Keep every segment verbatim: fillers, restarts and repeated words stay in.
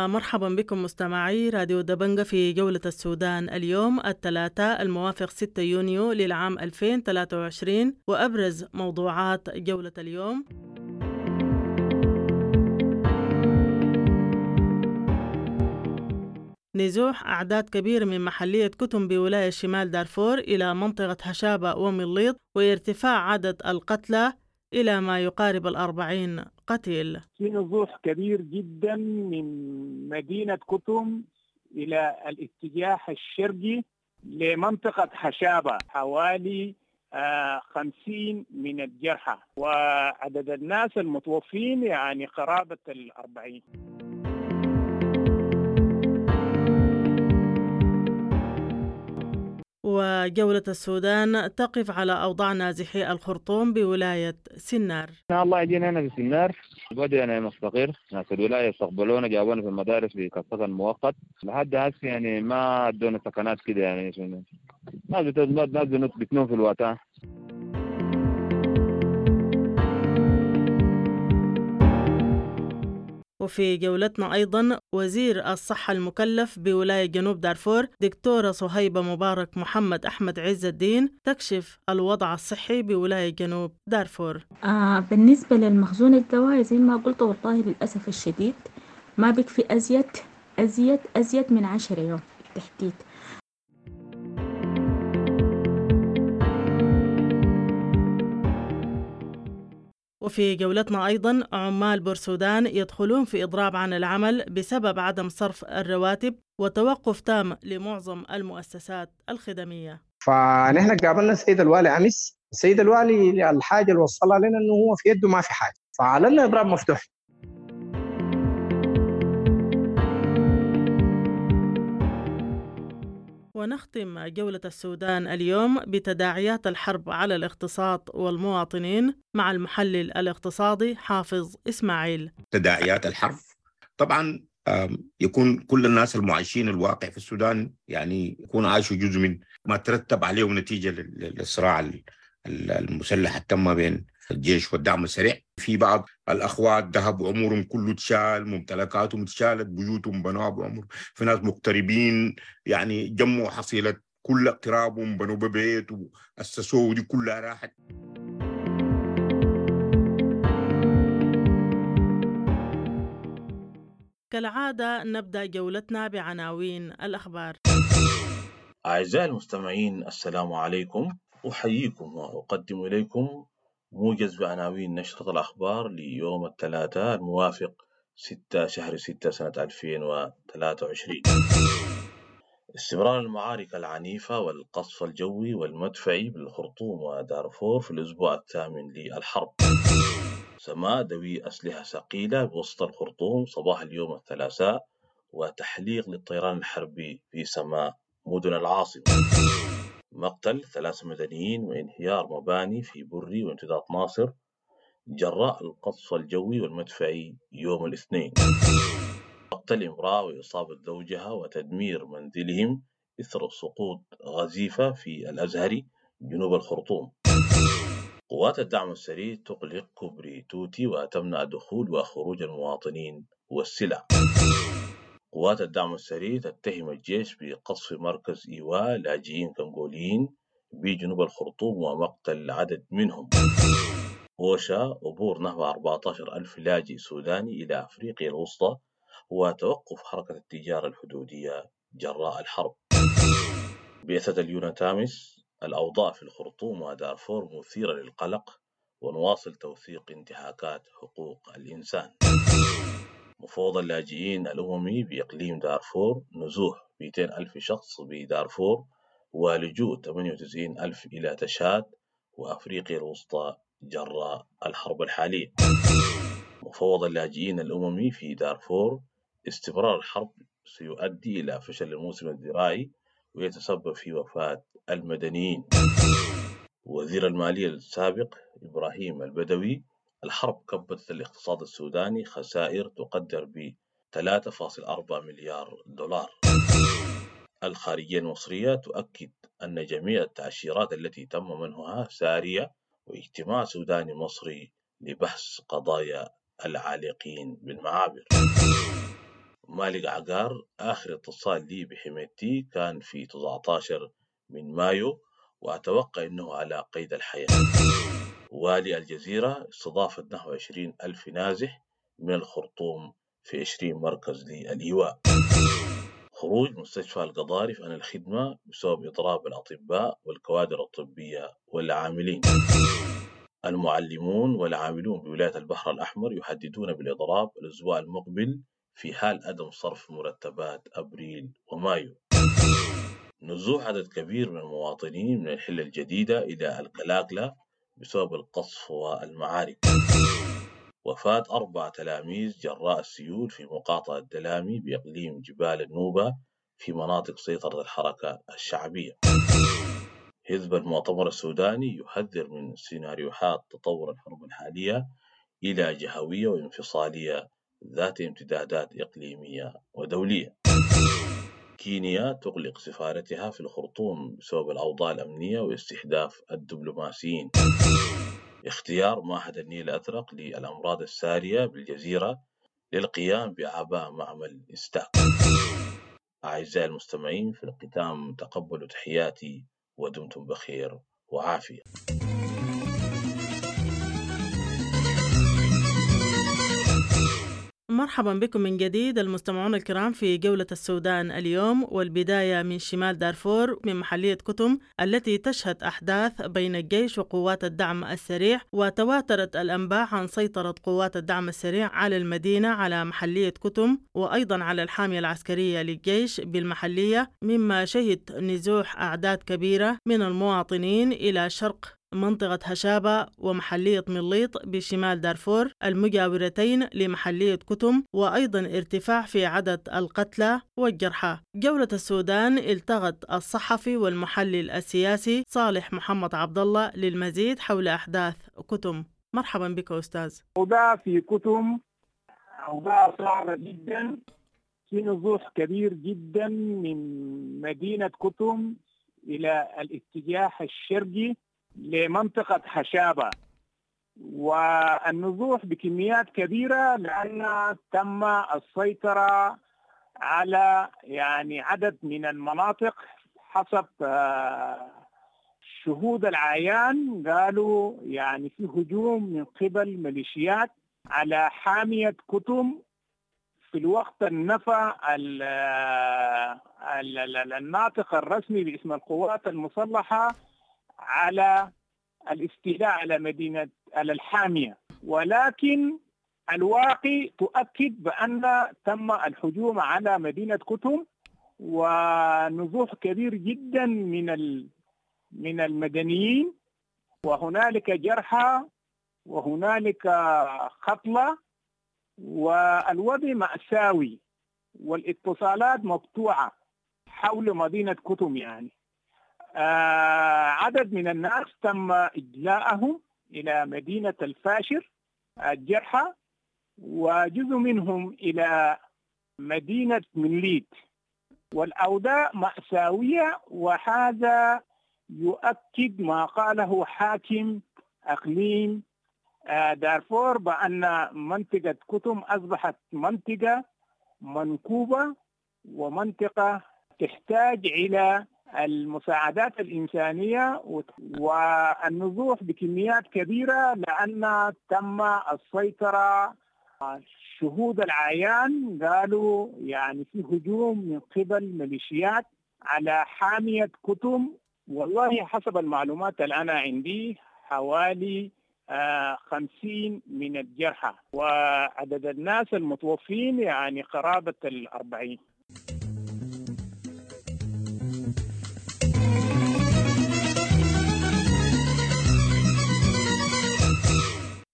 ومرحبا بكم مستمعي راديو دبنجة في جولة السودان اليوم الثلاثاء الموافق ستة يونيو للعام ألفين وثلاثة وعشرين، وأبرز موضوعات جولة اليوم: نزوح أعداد كبيرة من محلية كتم بولاية شمال دارفور إلى منطقة هشابة ومليط، وارتفاع عدد القتلى إلى ما يقارب الأربعين قتيل. في نزوح كبير جدا من مدينة كتم إلى الاتجاه الشرقي لمنطقة هشابة، حوالي خمسين من الجرحى، وعدد الناس المتوفين يعني قرابة الأربعين. وجولة السودان تقف على أوضاع نازحي الخرطوم بولاية سنار. الله يجينا هنا في سنار، بدأنا مستقر، ناس الولاية استقبلونا، جابونا في المدارس بكسكن مؤقت لحد هسه، يعني ما ادونا سكنات كده، يعني ناس ناس بتنوم في الوقت. وفي جولتنا أيضا وزير الصحة المكلف بولاية جنوب دارفور دكتورة صهيبة مبارك محمد أحمد عز الدين تكشف الوضع الصحي بولاية جنوب دارفور. آه بالنسبة للمخزون الدوائي زي ما قلت، والله للأسف الشديد ما بكفي أزيد أزيد أزيد من عشرة يوم بالتحديد. وفي جولتنا أيضا عمال بورسودان يدخلون في إضراب عن العمل بسبب عدم صرف الرواتب وتوقف تام لمعظم المؤسسات الخدمية. فنحن قابلنا السيد الوالي أمس، السيد الوالي الحاجة اللي وصلها لنا أنه هو في يده ما في حاجة، فعلنا إضراب مفتوح. ونختم جولة السودان اليوم بتداعيات الحرب على الاقتصاد والمواطنين مع المحلل الاقتصادي حافظ إسماعيل. تداعيات الحرب طبعا يكون كل الناس المعايشين الواقع في السودان يعني يكون عايشوا جزء من ما ترتب عليه نتيجة للصراع المسلح التم بين الجيش والدعم السريع. في بعض الأخوات ذهبوا عمرهم كله تشال، ممتلكاتهم تشالت، بيوتهم بنوها بعمر، في ناس مغتربين يعني جمعوا حصيلة كل اقترابهم بنوا ببيت وأسسوه ودي كلها راحت. كالعادة نبدأ جولتنا بعناوين الأخبار. أعزائي المستمعين السلام عليكم، أحييكم وأقدم إليكم موجز بعناوين نشرة الأخبار ليوم الثلاثاء الموافق ستة شهر ستة سنة ألفين وثلاثة وعشرين. استمرار المعارك العنيفة والقصف الجوي والمدفعي بالخرطوم ودارفور في الأسبوع الثامن للحرب. سماء دوي أسلحة ثقيلة بوسط الخرطوم صباح اليوم الثلاثاء، وتحليق للطيران الحربي في سماء مدن العاصمة. مقتل ثلاث مدنيين وانهيار مباني في بري وامتداد ناصر جراء القصف الجوي والمدفعي يوم الاثنين. مقتل امرأة وإصابة زوجها وتدمير منزلهم إثر سقوط غزيفة في الأزهري جنوب الخرطوم. قوات الدعم السريع تغلق كوبري توتي وتمنع دخول وخروج المواطنين والسلع. قوات الدعم السريع تتهم الجيش بقصف مركز إيواء لاجئين كونغوليين بجنوب الخرطوم ومقتل عدد منهم. أوشا عبور نحو أربعة عشر ألف لاجئ سوداني إلى أفريقيا الوسطى وتوقف حركة التجارة الحدودية جراء الحرب. بعثة اليوناتامس: الأوضاع في الخرطوم ودارفور مثيرة للقلق ونواصل توثيق انتهاكات حقوق الإنسان. مفوض اللاجئين الأممي بإقليم دارفور: نزوح مئتين ألف شخص بدارفور ولجوء ثمانية وتسعين ألف إلى تشاد وأفريقيا الوسطى جراء الحرب الحالية. مفوض اللاجئين الأممي في دارفور: استمرار الحرب سيؤدي إلى فشل الموسم الزراعي ويتسبب في وفاة المدنيين. وزير المالية السابق إبراهيم البدوي: الحرب كبدت الاقتصاد السوداني خسائر تقدر ب ثلاثة فاصل أربعة مليار دولار. الخارجية المصرية تؤكد أن جميع التأشيرات التي تم منحها سارية، واجتماع سوداني مصري لبحث قضايا العالقين بالمعابر. مالك عقار آخر اتصال لي بحميدتي كان في تسعة عشر من مايو، وأتوقع أنه على قيد الحياة. والي الجزيرة استضافت نحو عشرين ألف نازح من الخرطوم في عشرين مركز للإيواء. خروج مستشفى القضارف عن الخدمة بسبب إضراب الأطباء والكوادر الطبية والعاملين. المعلمون والعاملون بولاية البحر الأحمر يهددون بالإضراب الأسبوع المقبل في حال عدم صرف مرتبات أبريل ومايو. نزوح عدد كبير من المواطنين من الحلة الجديدة إلى الكلاكلة بسبب القصف والمعارك. وفاة أربع تلاميذ جراء السيول في مقاطعة دلامي بإقليم جبال النوبة في مناطق سيطرة الحركة الشعبية. حزب المؤتمر السوداني يحذر من سيناريوهات تطور الحرب الحالية إلى جهوية وانفصالية ذات امتدادات إقليمية ودولية. كينيا تغلق سفارتها في الخرطوم بسبب الأوضاع الأمنية واستهداف الدبلوماسيين. اختيار معهد النيل الأزرق للأمراض السارية بالجزيرة للقيام بأعباء معمل إستاك. أعزائي المستمعين، في الختام تقبلوا تحياتي ودمتم بخير وعافية. مرحبا بكم من جديد المستمعون الكرام في جولة السودان اليوم، والبداية من شمال دارفور من محلية كتم التي تشهد أحداث بين الجيش وقوات الدعم السريع، وتواترت الأنباء عن سيطرة قوات الدعم السريع على المدينة على محلية كتم وأيضا على الحامية العسكرية للجيش بالمحلية، مما شهد نزوح أعداد كبيرة من المواطنين إلى شرق منطقة هشابة ومحلية مليط بشمال دارفور المجاورتين لمحلية كتم، وأيضا ارتفاع في عدد القتلى والجرحى. جولة السودان التغت الصحفي والمحلل السياسي صالح محمد عبد الله للمزيد حول أحداث كتم. مرحبا بك أستاذ. أوضاع في كتم أوضاع صعبة جدا، في نزوح كبير جدا من مدينة كتم إلى الاتجاه الشرقي لمنطقة حشابة، والنزوح بكميات كبيرة لأن تم السيطرة على يعني عدد من المناطق حسب شهود العيان. قالوا يعني في هجوم من قبل ميليشيات على حامية كتم في الوقت النفى الناطق الرسمي باسم القوات المسلحة على الاستيلاء على مدينة على الحامية، ولكن الواقع تؤكد بأن تم الهجوم على مدينة كتم ونزوح كبير جدا من من المدنيين، وهنالك جرحى وهنالك قتلى، والوضع مأساوي والاتصالات مقطوعة حول مدينة كتم. يعني آه عدد من الناس تم إجلاءهم إلى مدينة الفاشر الجرحى، وجزء منهم إلى مدينة مليت، والأوضاع مأساوية. وهذا يؤكد ما قاله حاكم أقليم دارفور بأن منطقة كتم أصبحت منطقة منكوبة ومنطقة تحتاج إلى المساعدات الإنسانية والنزوح بكميات كبيرة لأن تم السيطرة. شهود العيان قالوا يعني في هجوم من قبل ميليشيات على حامية كتم. والله حسب المعلومات اللي أنا عندي حوالي خمسين من الجرحى، وعدد الناس المتوفين يعني قرابة الأربعين.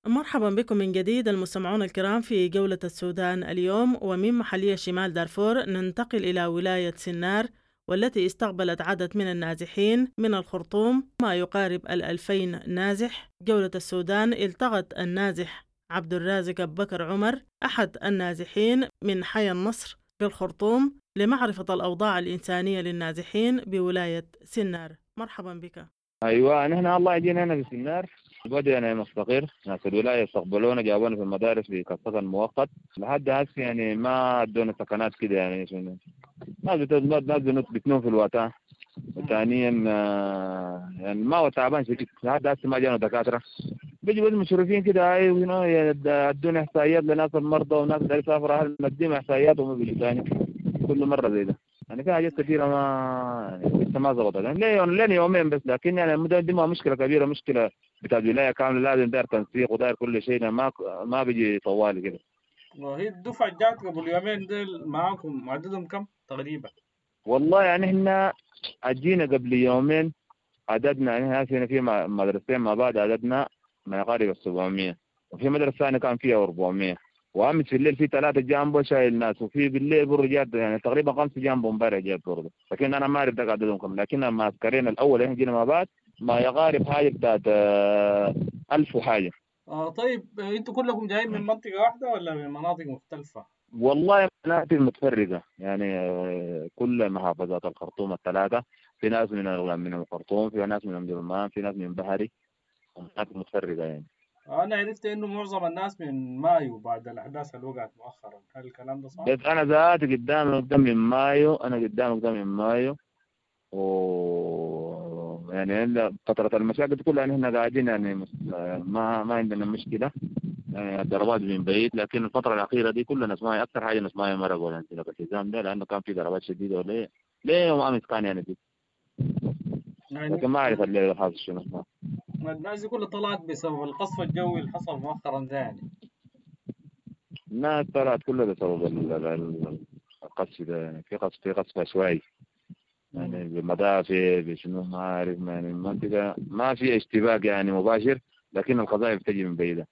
مرحبا بكم من جديد المستمعون الكرام في جولة السودان اليوم. ومن محلية شمال دارفور ننتقل إلى ولاية سنار، والتي استقبلت عدد من النازحين من الخرطوم ما يقارب الألفين نازح. جولة السودان التقت النازح عبد الرازق بكر عمر أحد النازحين من حي النصر بالخرطوم لمعرفة الأوضاع الإنسانية للنازحين بولاية سنار. مرحبا بك. ايوه نحن الله يجينا هنا في السنار بدأنا مستقر، ناس الولاية استقبلونا جابونا في المدارس في كسكن مؤقت لحد هسه يعني ما ادونا سكنات كده يعني شنو ناس ناس بتنوم في الوطا. ثانيا يعني ما هو تعبان شديد لحد هسه ما جانا دكاترة، بيجوا بس مشرفين كده اي ادونا احصائيات لناس المرضى وناس اللي يسافروا اهل نديهم احصائيات وما بيجوا ثاني كل مرة زي ده. يعني في حاجات كثيرة ما يعني لسه ما ظبطت يعني ليه لين يومين بس، لكن يعني دي ما مشكلة كبيرة، مشكلة بتاع الولاية كاملة، لازم داير تنسيق وداير كل شيء، ما ما بيجي طوالي كده. وهي الدفعة جات قبل يومين ديل معاكم عددهم كم تقريبا؟ والله يعني احنا اجينا قبل يومين عددنا يعني هنا في مدرستين مع بعض عددنا ما يقارب ال سبعمية، وفي مدرسه ثانية كان فيها أربعمية، وامس في الليل في ثلاثة جامبو شايل ناس، وفي بالليل برضه جات يعني تقريبا خمسة جامبو امبارح جات برضه، لكن انا ما اعرف ده عددهم كم، لكن المعسكرين الاول احنا جينا مع بعض ما يقارب حاجة بتاعت ألف وحاجه. آه طيب انتوا كلكم جايين من منطقة واحدة ولا من مناطق مختلفة؟ والله مناطق متفرقة يعني كل محافظات الخرطوم الثلاثة، في ناس من من الخرطوم، في ناس من ام درمان، في ناس من بحري، مناطق متفرقة يعني. أنا عرفت إنه معظم الناس من مايو بعد الأحداث اللي وقعت مؤخرا، هل الكلام ده صح؟ بس أنا ذاتي قدام قدام من مايو، أنا قدام قدام من مايو، و يعني فترة المشاكل كلها نحن قاعدين يعني ما ما عندنا مشكلة يعني الضربات من بعيد، لكن الفترة الأخيرة دي كلنا نسمعها أكثر حاجة نسمعها مرة ولا الالتزام ده، لأنه كان في ضربات شديدة ولا إيه؟ ليه يوم أمس كان يعني دي؟ لكن ما أعرف اللي حاصل شنو. الناس دي كلها طلعت بسبب القصف الجوي اللي حصل مؤخرا ده يعني. الناس طلعت كلها بسبب القصف ده يعني، في قصف في قصف عشوائي يعني بمدافع بشنو ما أعرف يعني، المنطقة ما في اشتباك يعني مباشر، لكن القذائف تجي من بعيدة.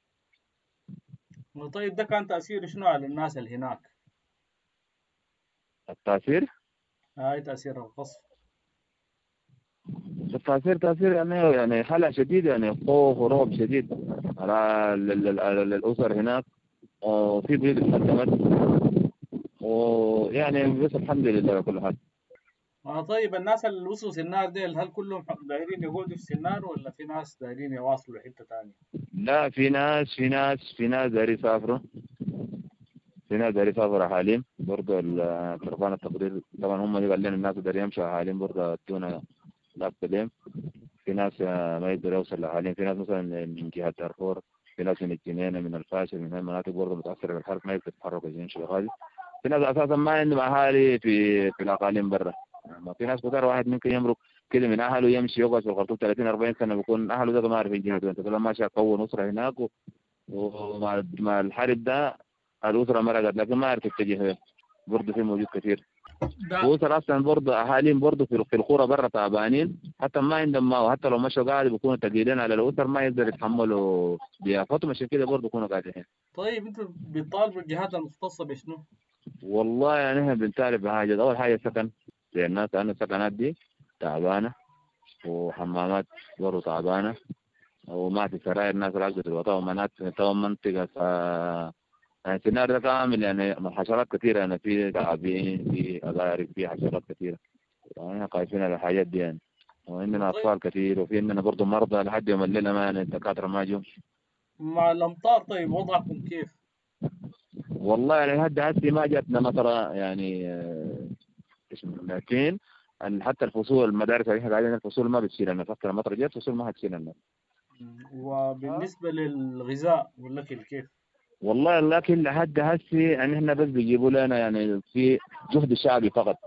طيب ده كان تأثيره شنو على الناس اللي هناك؟ التأثير؟ هاي تأثير القصف. التأثير تأثير يعني يعني حالة شديدة يعني خوف ورعب شديد على الأسر هناك، وفي بيوت اتهدمت، ويعني بس الحمد لله على كل حال. آه طيب الناس اللي وصلوا سنار ديل هل كلهم دايرين يقعدوا في سنار ولا في ناس دايرين يواصلوا لحتة ثانية؟ لا في ناس في ناس في ناس دايرين يسافروا، في ناس دايرين يسافروا حاليا برضه الكرفان التقرير طبعا هم اللي قال لنا الناس دايرين يمشوا حاليا برضه ادونا لا في ناس ما يقدروا يوصلوا حاليا، في ناس مثلا من جهة دارفور، في ناس من الجنينة من الفاشل من المناطق برضه متأثرة بالحرب ما يقدروا يتحركوا يمشوا غادي، في ناس أساسا ما عندهم أهالي في في الأقاليم برا، ما في ناس كتار واحد ممكن يمرق كده من أهله يمشي يقعد في الخرطوم ثلاثين أربعين سنة بيكون أهله ده ما عارفين جهته، أنت كل ماشي أكون أسرة هناك و... ومع مع الحرب ده الأسرة مرقت لكن ما عرفت تتجه، برضه في موجود كثير. وأسر أصلا برضه أهاليهم برضه في في القرى برا تعبانين، حتى ما عندهم ماء، وحتى لو مشوا قاعد بيكونوا ثقيلين على الأسر ما يقدروا يتحملوا ضيافتهم، عشان كده برضه بيكونوا قاعدين. طيب أنتوا بتطالبوا الجهات المختصة بشنو؟ والله يعني احنا بنطالب بحاجة، أول حاجة سكن للناس، لأن السكنات دي تعبانة، وحمامات برضه تعبانة، وما في سراير الناس راقدة في الوطن، ومناطق منطقة ف... يعني السنار ده كامل يعني حشرات كثيرة يعني في تعابين في أغارب في حشرات كثيرة، يعني خايفين على الحاجات دي يعني، وعندنا أطفال كثير، وفي عندنا برضه مرضى لحد يوم الليلة ما يعني الدكاترة ما جو. مع الأمطار طيب وضعكم كيف؟ والله يعني لحد هسه ما جاتنا مطرة يعني لكن حتى الفصول المدارس اللي احنا قاعدين الفصول ما بتشيل الناس، حتى المطرة جت الفصول ما حتشيل الناس. وبالنسبة للغذاء والأكل كيف؟ والله الأكل لحد هسه يعني احنا بس بيجيبوا لنا يعني في جهد شعبي فقط،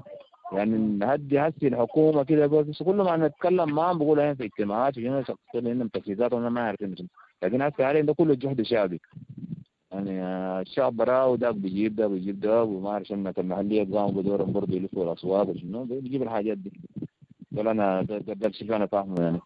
يعني لحد هسه الحكومة كده بس كل ما نتكلم معهم بيقولوا احنا في اجتماعات وهنا شخصيا عندهم تجهيزات وانا ما عارفين، لكن هسه حاليا ده كله جهد شعبي يعني الشعب براه وده بيجيب ده بيجيب ده، وما اعرف الناس المحلية قاموا بدورهم برضه يلفوا الاسواق وشنو بيجيب الحاجات دي. ده انا ده, ده الشيء انا فاهمه يعني.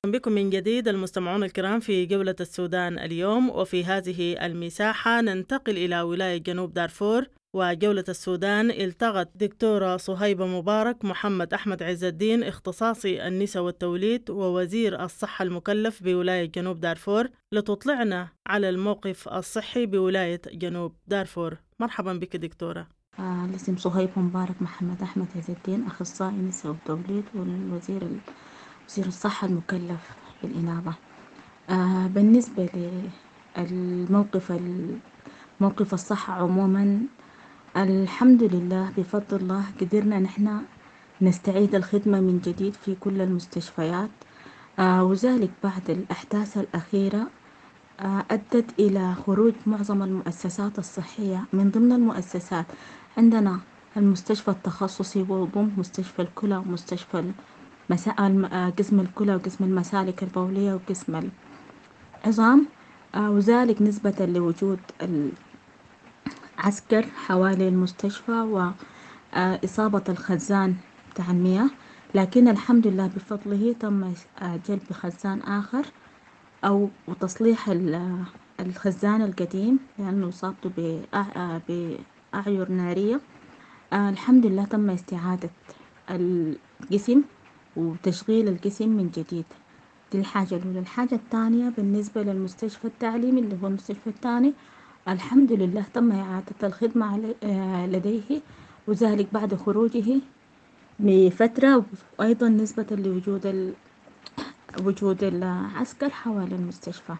بكم من جديد المستمعون الكرام في جولة السودان اليوم، وفي هذه المساحة ننتقل إلى ولاية جنوب دارفور. وجولة السودان التقت دكتورة صهيبة مبارك محمد أحمد عز الدين اختصاصي النساء والتوليد ووزير الصحة المكلف بولاية جنوب دارفور لتطلعنا على الموقف الصحي بولاية جنوب دارفور. مرحبا بك دكتورة. آه الاسم صهيب مبارك محمد أحمد عز الدين، أخصائي نساء وتوليد والوزير وزير الصحة المكلف بالإنابة. آه بالنسبة للموقف موقف الصحة عموما، الحمد لله بفضل الله قدرنا نحن نستعيد الخدمة من جديد في كل المستشفيات، آه وذلك بعد الأحداث الأخيرة آه أدت إلى خروج معظم المؤسسات الصحية. من ضمن المؤسسات عندنا المستشفى التخصصي وضم مستشفى الكلى ومستشفى المسا... قسم الكلى وقسم المسالك البولية وقسم العظام، آه وذلك نسبة لوجود العسكر حوالي المستشفى وإصابة الخزان بتاع المياه. لكن الحمد لله بفضله تم جلب خزان آخر أو وتصليح الخزان القديم لأنه إصابته بأعير نارية. آه الحمد لله تم استعادة القسم وتشغيل القسم من جديد. دي الحاجة الأولى. الحاجة الثانية بالنسبة للمستشفى التعليمي اللي هو المستشفى الثاني، الحمد لله تم إعادة الخدمة لديه، وذلك بعد خروجه بفترة، وأيضا نسبة لوجود ال... وجود العسكر حوالي المستشفى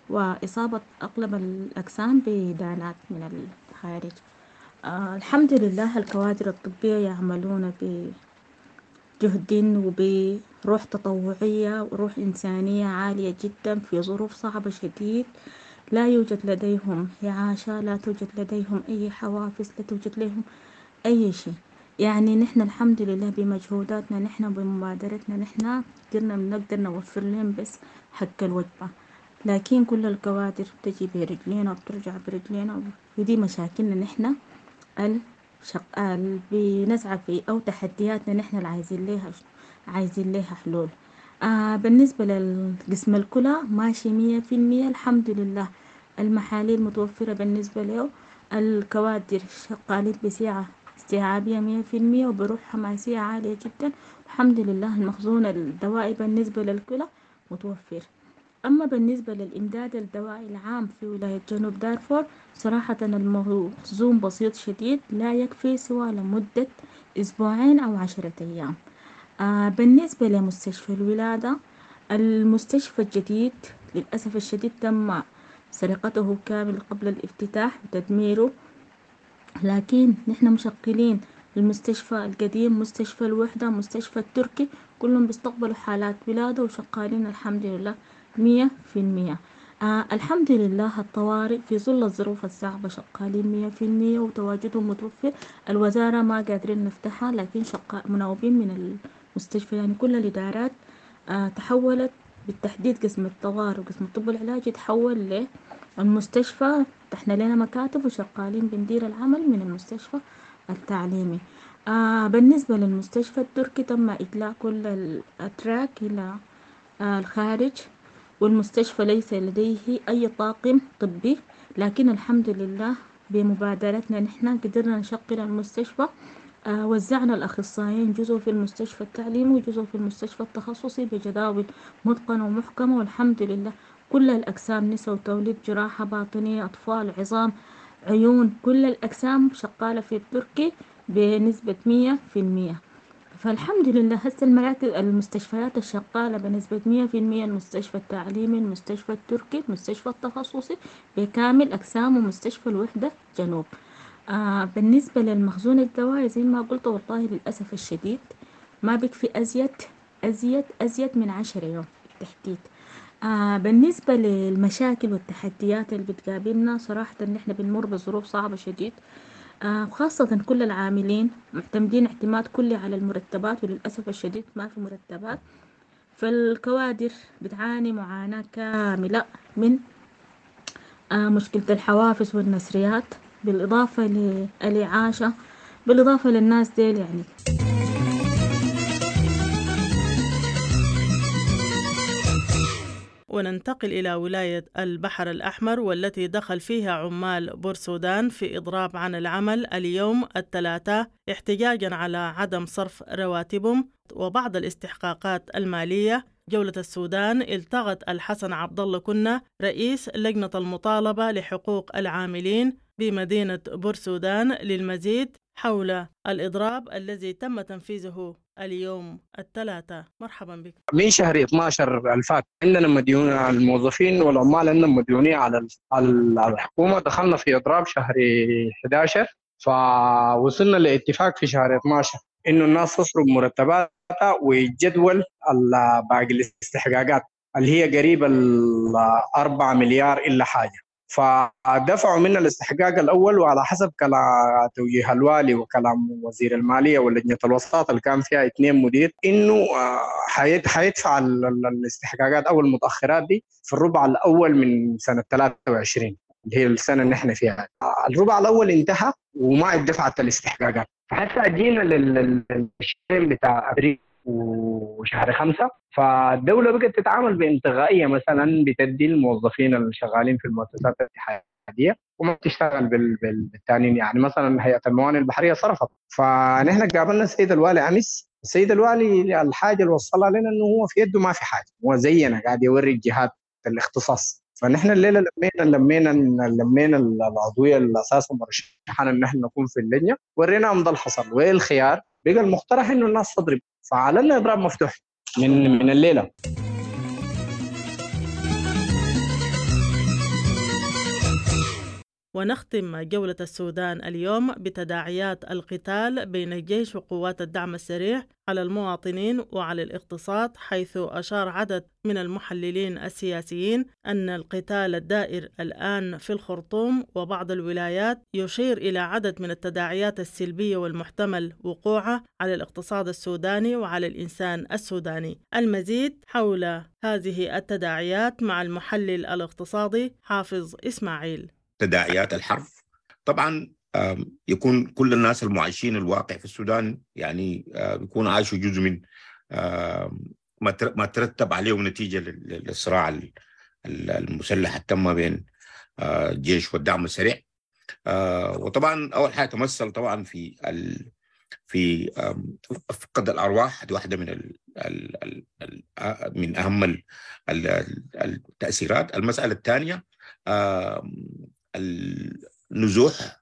وإصابة أغلب الأجسام بدانات من الخارج. آه الحمد لله الكوادر الطبية يعملون بجهد وبروح تطوعية وروح إنسانية عالية جدا في ظروف صعبة شديد. لا يوجد لديهم إعاشة، لا توجد لديهم أي حوافز، لا توجد لهم أي شيء. يعني نحن الحمد لله بمجهوداتنا نحن وبمبادرتنا نحن قدرنا بنقدر نوفر لهم بس حق الوجبة، لكن كل الكوادر بتجي برجلينا وبترجع برجلينا، ودي مشاكلنا نحن الشق... اللي بنسعى في أو تحدياتنا نحن اللي عايزين ليها عايزين ليها حلول. آه بالنسبة للقسم الكلى ماشي مية في المية الحمد لله، المحاليل متوفرة بالنسبة له، الكوادر شغالين بسعة استيعابية مية في المية وبروح حماسية عالية جدا الحمد لله. المخزون الدوائي بالنسبة للكلى متوفر. أما بالنسبة للإمداد الدوائي العام في ولاية جنوب دارفور، صراحة المخزون بسيط شديد، لا يكفي سوى لمدة أسبوعين أو عشرة أيام. آه بالنسبة لمستشفى الولادة، المستشفى الجديد للأسف الشديد تم سرقته كامل قبل الافتتاح وتدميره، لكن نحن مشغلين المستشفى القديم، مستشفى الوحدة، مستشفى التركي، كلهم بيستقبلوا حالات ولادة وشغالين الحمد لله مية في المية. آه الحمد لله الطوارئ في ظل الظروف الصعبة شغالين مية في المية وتواجدهم متوفر. الوزارة ما قادرين نفتحها، لكن شقا مناوبين من المستشفى، يعني كل الإدارات آه تحولت بالتحديد قسم الطوارئ وقسم الطب العلاجي تحول للمستشفى، فتحنا لنا مكاتب وشغالين بندير العمل من المستشفى التعليمي. آه بالنسبة للمستشفى التركي تم إجلاء كل الأتراك إلى آه الخارج، والمستشفى ليس لديه أي طاقم طبي، لكن الحمد لله بمبادرتنا نحن قدرنا نشغل المستشفى. آه وزعنا الأخصائيين جزء في المستشفى التعليمي وجزء في المستشفى التخصصي بجداول متقنة ومحكمة، والحمد لله كل الأقسام نساء وتوليد، جراحة باطنية، أطفال، عظام، عيون، كل الأقسام شغالة في التركي بنسبة مية في المية. فالحمد لله هسه المراكز المستشفيات الشغالة بنسبة مية في المية، المستشفى التعليمي، المستشفى التركي، المستشفى التخصصي بكامل أقسامه، مستشفى الوحدة جنوب. آه بالنسبة للمخزون الدوائي زي ما قلت والله للأسف الشديد ما بكفي أزيد أزيد أزيد من عشرة يوم بالتحديد. آه بالنسبة للمشاكل والتحديات اللي بتقابلنا، صراحة نحن بنمر بظروف صعبة شديد، آه وخاصة كل العاملين معتمدين اعتماد كلي على المرتبات، وللأسف الشديد ما في مرتبات، فالكوادر بتعاني معاناة كاملة من آه مشكلة الحوافز والنسريات، بالإضافة للإعاشة، بالإضافة للناس ديل يعني. وننتقل إلى ولاية البحر الأحمر والتي دخل فيها عمال بورسودان في إضراب عن العمل اليوم الثلاثاء احتجاجا على عدم صرف رواتبهم وبعض الاستحقاقات المالية. جولة السودان التغت الحسن عبد الله كنا رئيس لجنة المطالبة لحقوق العاملين بمدينة بورسودان للمزيد. حول الإضراب الذي تم تنفيذه اليوم الثلاثاء. مرحبا بك. من شهر اثناشر الفات عندنا مديون الموظفين والعمال عندنا مديونية على الحكومة. دخلنا في إضراب شهر احد عشر، فوصلنا لاتفاق في شهر اثناشر إنه الناس تصرف مرتباتها ويجدول باقي الاستحقاقات اللي هي قريب الأربعة مليار إلا حاجة. فدفعوا منا الاستحقاق الأول، وعلى حسب كلام توجيه الوالي وكلام وزير المالية ولجنة الوساطة اللي كان فيها اثنين مدير إنه حيدفع الاستحقاقات أو المتأخرات دي في الربع الأول من سنة ثلاثة وعشرين اللي هي السنة اللي احنا فيها. الربع الأول انتهى وما اتدفعت الاستحقاقات، فحتى جينا للشهرين بتاع أبريل وشهر خمسة فالدولة بقت تتعامل بانتقائية، مثلا بتدي الموظفين اللي شغالين في المؤسسات الاتحادية وما بتشتغل بالتانيين. يعني مثلا هيئة الموانئ البحرية صرفت. فنحن قابلنا السيد الوالي أمس. السيد الوالي الحاجة اللي وصلها لنا إنه هو في يده ما في حاجة، هو زينا قاعد يوري الجهات الاختصاص. فنحن الليلة لمينا لمينا لمينا العضوية اللي أساسا مرشحنا إن نحن نكون في اللجنة، وريناهم ده اللي حصل وإيه الخيار. بقى المقترح إنه الناس تضرب، فعلنا إضراب مفتوح من من الليلة. ونختم جولة السودان اليوم بتداعيات القتال بين الجيش وقوات الدعم السريع على المواطنين وعلى الاقتصاد، حيث أشار عدد من المحللين السياسيين أن القتال الدائر الآن في الخرطوم وبعض الولايات يشير إلى عدد من التداعيات السلبية والمحتمل وقوعها على الاقتصاد السوداني وعلى الإنسان السوداني. المزيد حول هذه التداعيات مع المحلل الاقتصادي حافظ إسماعيل. تداعيات الحرب طبعا يكون كل الناس المعايشين الواقع في السودان يعني يكون عايشوا جزء من ما ترتب عليه نتيجة للصراع المسلح التم بين الجيش والدعم السريع. وطبعا أول حاجة تمثل طبعا في ال في فقد الأرواح، دي واحدة من ال ال ال من أهم التأثيرات. المسألة الثانية النزوح،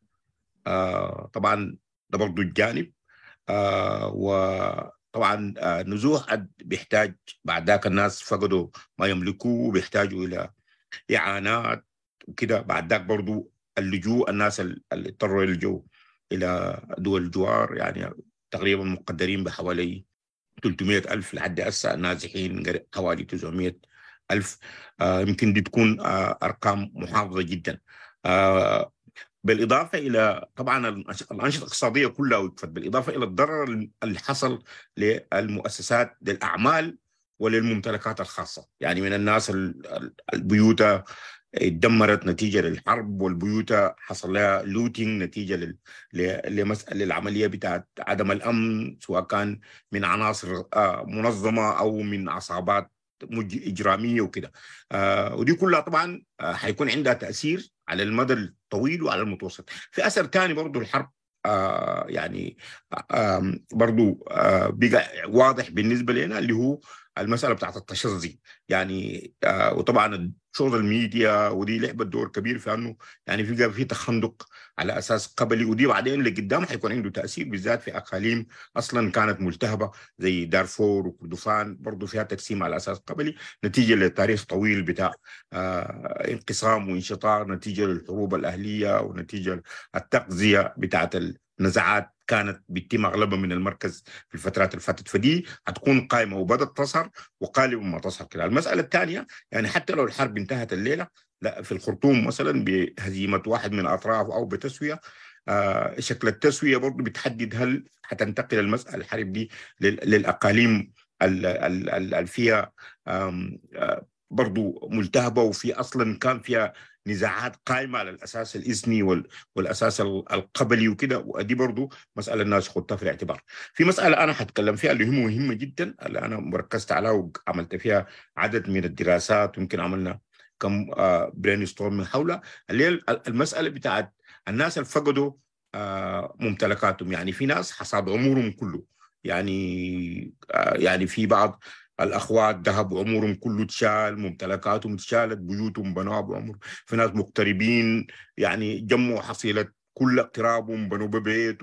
طبعا ده برضو الجانب، وطبعا النزوح بيحتاج بعد ذاك الناس فقدوا ما يملكوه بيحتاجوا إلى إعانات وكده. بعد ذاك برضو اللجوء، الناس اللي اضطروا يلجوا إلى دول الجوار، يعني تقريبا مقدرين بحوالي ثلاثمئة ألف لحد هسه، نازحين حوالي تسعمئة ألف. آه يمكن دي تكون آه أرقام محافظة جدا. آه بالإضافة إلى طبعا الأنشطة الاقتصادية كلها وقفت، بالإضافة إلى الضرر اللي حصل للمؤسسات للأعمال وللممتلكات الخاصة. يعني من الناس البيوت اتدمرت نتيجة للحرب، والبيوت حصل لها لوتينج نتيجة لل... لمسألة للعملية بتاعت عدم الأمن، سواء كان من عناصر منظمة أو من عصابات إجرامية وكده. آه ودي كلها طبعا حيكون عندها تأثير على المدى الطويل وعلى المتوسط. في أثر ثاني برضو الحرب آه يعني آه برضو آه بقى واضح بالنسبة لنا اللي هو المسألة بتاعت التشظي، يعني آه وطبعا ال social media ودي لعبت دور كبير في انه يعني في في تخندق على اساس قبلي، ودي بعدين لقدام حيكون عنده تاثير بالذات في اقاليم اصلا كانت ملتهبه زي دارفور وكردفان، برضه فيها تقسيم على اساس قبلي نتيجة لتاريخ طويل بتاع آه انقسام وانشطار، نتيجة للحروب الاهلية ونتيجة التغذية بتاعت النزاعات كانت بتتم اغلبها من المركز في الفترات اللي فاتت. فدي هتكون قائمة وبدات تظهر وقالبا ما تظهر كده. المسالة الثانية يعني حتى لو الحرب انتهت الليلة، لا في الخرطوم مثلا بهزيمة واحد من الاطراف او بتسويه، آه شكل التسوية برضه بتحدد هل هتنتقل المسالة الحرب دي للاقاليم اللي فيها برضه ملتهبه وفي اصلا كان فيها نزاعات قائمة على الأساس الإثني والأساس القبلي وكده، ودي برضو مسألة الناس خدتها في الاعتبار. في مسألة أنا حتكلم فيها اللي هي مهمة جدا، اللي أنا مركزت عليها وعملت فيها عدد من الدراسات ويمكن عملنا كم brainstorm حولها، اللي هي المسألة بتاعت الناس اللي فقدوا ممتلكاتهم. يعني في ناس حصاد عمرهم كله، يعني يعني في بعض الأخوات ذهب عمرهم كله اتشال، ممتلكاتهم اتشالت، بيوتهم بنوها بعمر، في ناس مغتربين يعني جمعوا حصيلة كل اقترابهم بنوا ببيت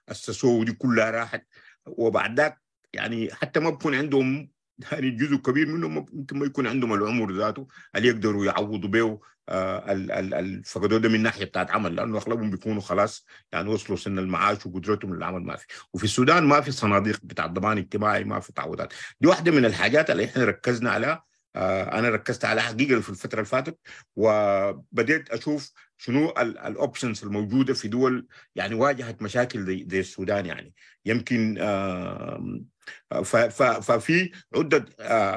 واسسوه ودي كلها راحت. وبعد ذاك يعني حتى ما بكون عندهم يعني جزء كبير منهم ممكن ما يكون عندهم العمر ذاته اللي يقدروا يعوضوا به الفقدوه ده من ناحية بتاعت عمل، لانه اغلبهم بيكونوا خلاص يعني وصلوا سن المعاش وقدرتهم للعمل ما في. وفي السودان ما في صناديق بتاع الضمان الاجتماعي، ما في تعويضات. دي واحدة من الحاجات اللي احنا ركزنا عليها. انا ركزت على حقيقة في الفترة اللي فاتت، وبديت اشوف شنو ال options الموجودة في دول يعني واجهت مشاكل زي زي السودان. يعني يمكن ففي عده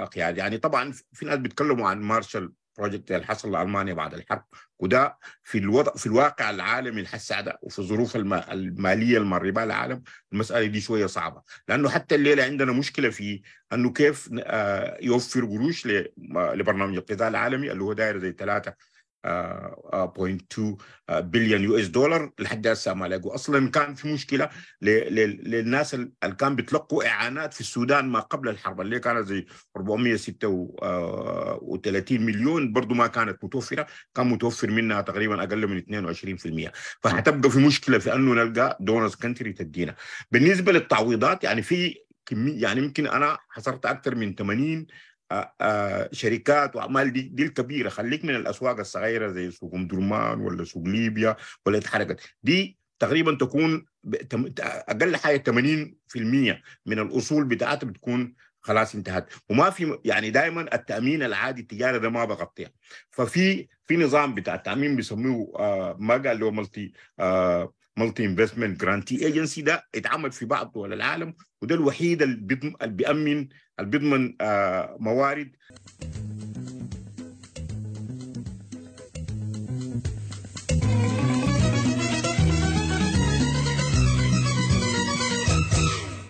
قيادات. يعني طبعا في ناس بيتكلموا عن Marshall Project اللي حصل لالمانيا بعد الحرب، وده في الوضع في الواقع العالمي الحسع ده وفي الظروف المالية المر بها العالم المسالة دي شوية صعبة، لانه حتى الليلة عندنا مشكلة في انه كيف يوفر قروش لبرنامج الغذاء العالمي اللي هو داير زي ثلاثة فاصلة اثنين بليون US dollar لحد هسه ما لاقوا. اصلا كان في مشكلة للناس اللي كان بيتلقوا اعانات في السودان ما قبل الحرب اللي كانت زي أربعمية وستة وثلاثين مليون، برضو ما كانت متوفرة، كان متوفر منها تقريبا اقل من اثنين وعشرين بالمية. فحتبقى في مشكلة في انه نلقى donors country تدينا. بالنسبة للتعويضات يعني في كمية، يعني يمكن انا حصرت اكثر من ثمانين شركات واعمال دي دي الكبيرة، خليك من الاسواق الصغيرة زي سوق ام درمان ولا سوق ليبيا ولا اتحركت، دي تقريبا تكون اقل حاجة ثمانين بالمية من الاصول بتاعتها بتكون خلاص انتهت. وما في يعني دائما التامين العادي التجاري ده ما بغطيها. ففي في نظام بتاع التامين بيسموه ما قال له multi multi investment guarantee agency، ده اتعمل في بعض دول العالم، وده الوحيد اللي بيأمن اللي بيضمن موارد.